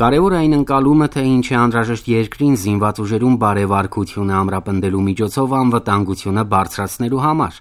Կարևոր այն ընկալումը, թե ինչ է անհրաժեշտ երկրին զինված ուժերում բարեվարկությունը ամրապնդելու միջոցով անվտանգությունը բարձրացնելու համար.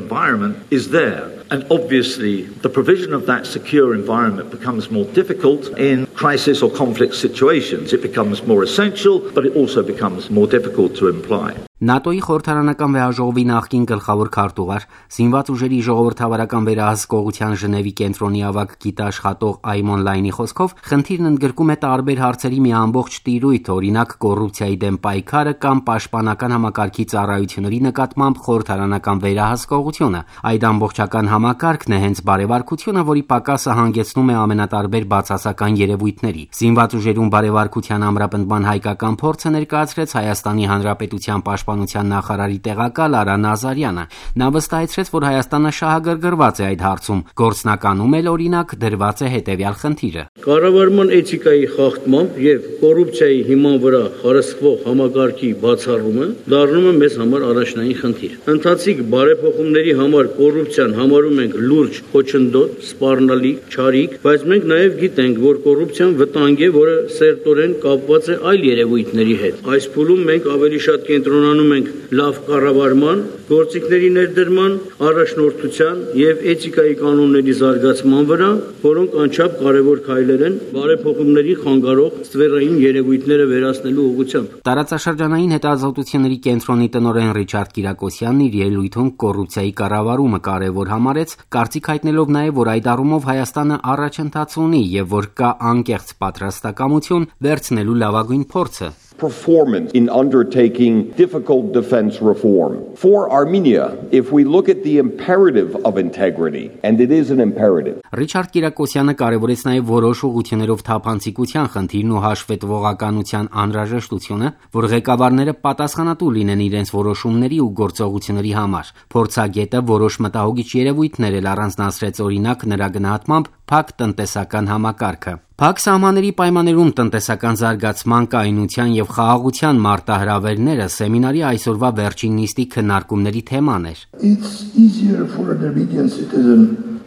Environment is there. And obviously, the provision of that secure environment becomes more difficult in crisis or conflict situations. It becomes more essential, but it also becomes more difficult to imply. ՆԱՏՕ-ի խորհրդարանական վեհաժողովի նախկին գլխավոր քարտուղար, զինված ուժերի ժողովրդավարական վերահսկողության Ժնևի կենտրոնի ավագ գիտաշխատող Այմոն Լայնի խոսքով, խնդիրն ընդգրկում է տարբեր հարցերի մի ամբողջ տիրույթ, օրինակ կոռուպցիայի դեմ պայքարը կամ պաշտպանական համակարգի ծառայությունների նկատմամբ խորհրդարանական վերահսկողությունը։ Այդ ամբողջական համակարգն է հենց բարեվարկությունը, որի պակասը հանգեցնում է ամենատարբեր բացասական երևույթների։ Զինված ուժերում բարեվարկության ամրապնդման հայկական փորձը ներկայացրեց Հայաստանի Հանրապետության պաշտպանության նախարարի տեղակալ Արա Նազարյանը։ Նա վստահեցրեց, որ Հայաստանը շահագրգռված է այդ հարցում։ Գործնականում էլ օրինակ դրված է հետևյալ խնդիրը. Կառավարման էթիկայի խախտմամբ եւ կոռուպցիայի հիման վրա խարսխվող համակարգի բացառումը դառնում է մեզ համար առաջնային խնդիր։ Ընթացիկ բարեփոխումների համար կոռուպցիան համարում ենք լուրջ խոչընդոտ, սպառնալիք, չարիք, բայց մենք նաեւ գիտենք, որ կոռուպցիան վտանգ է, որը սերտորեն կապված է այլ երևույթների հետ։ Այս փուլում մենք ավելի շատ կենտրոնանում ենք լավ կառավարման, գործիքների ներդրման, առաջնորդության եւ էթիկայի կանոնների զարգացման վրա, որոնք անչափ կարևոր քայլեր են բարեփոխումների խանգարող ստվերային երևույթները վերացնելու ուղղությամբ։ Տարածաշրջանային հետազոտությունների կենտրոնի տնօրեն Ռիչարդ Կիրակոսյանն իր ելույթում կոռուպցիայի կառավարումը կարևոր համարեց, կարծիք հայտնելով նաեւ, որ այդ առումով Հայաստանը առաջընթաց ունի եւ որ կա անկեղծ պատրաստակամություն վերցնելու լավագույն փորձը. Performance in undertaking difficult defense reform. For Armenia, if we look at the imperative of integrity, and it is an imperative. Ռիչարդ Կիրակոսյանը կարևորեց նաև որոշ ուղղություններով թափանցիկության խնդիրն ու հաշվետվողականության անհրաժեշտությունը, որ ղեկավարները պատասխանատու լինեն իրենց որոշումների ու գործողությունների համար։ Փորձագետը որոշ մտահոգիչ երևույթներ էլ առանձնացրեց, օրինակ նրա գնահատմամբ փակ տնտեսական համակարգը։ Փակ սահմանների պայմաններում տնտեսական զարգացման, կայունության եւ խաղաղության մարտահրավերները սեմինարի այսօրվա վերջին նիստի քննարկումների թեման էր։ It's easier for an Armenian citizen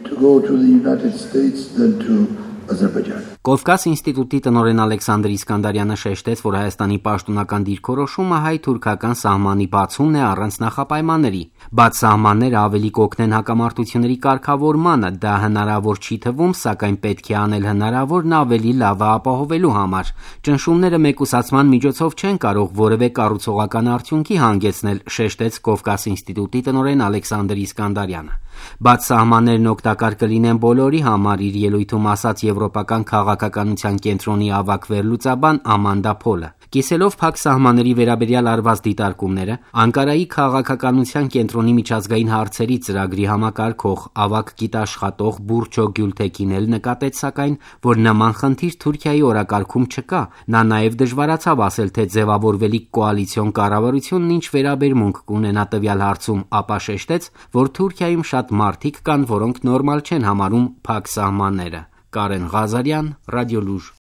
to go to the United States than to Azerbaijan. Կովկաս ինստիտուտի տնօրեն Ալեքսանդր Իսկանդարյանը շեշտեց, որ Հայաստանի պաշտոնական դիրքորոշումը հայ-թուրքական սահմանի բացումն է առանց նախապայմանների։ Բաց սահմանները ավելի կօգնեն հակամարտությունների կարգավորմանը, դա հնարավոր չի թվում, սակայն պետք է անել հնարավորն ավելի լավը ապահովելու համար։ Ճնշումները մեկուսացման միջոցով չեն կարող որևէ կառուցողական արդյունքի հանգեցնել, շեշտեց Կովկաս ինստիտուտի տնօրեն Ալեքսանդր Իսկանդարյանը։ Բաց սահմաններն օգտակար կլինեն բոլորի համար, իր ելույթում ասաց Եվրոպական քաղաքականության կենտրոնի ավագ վերլուծաբան Ամանդա Փոլը։ Կիսելով փակ սահմանների վերաբերյալ արված դիտարկումները, Անկարայի քաղաքականության կենտրոնի միջազգային հարցերի ծրագրի համակարգող ավագ գիտաշխատող Բուրչո Գյուլթեկին էլ նկատեց, սակայն, որ նման խնդիր Թուրքիայի օրակարգում չկա։ Նա նաև դժվարացավ ասել, թե ձևավորվելիք կոալիցիոն կառավարությունն ինչ վերաբերմունք կունենա տվյալ հարցում, ապա շեշտեց, որ Թուրքիայում շատ մարդիկ կան, որոնք նորմալ չեն համարում փակ սահմանները։ Կարեն Ղազարյան, Ռադիոլուր։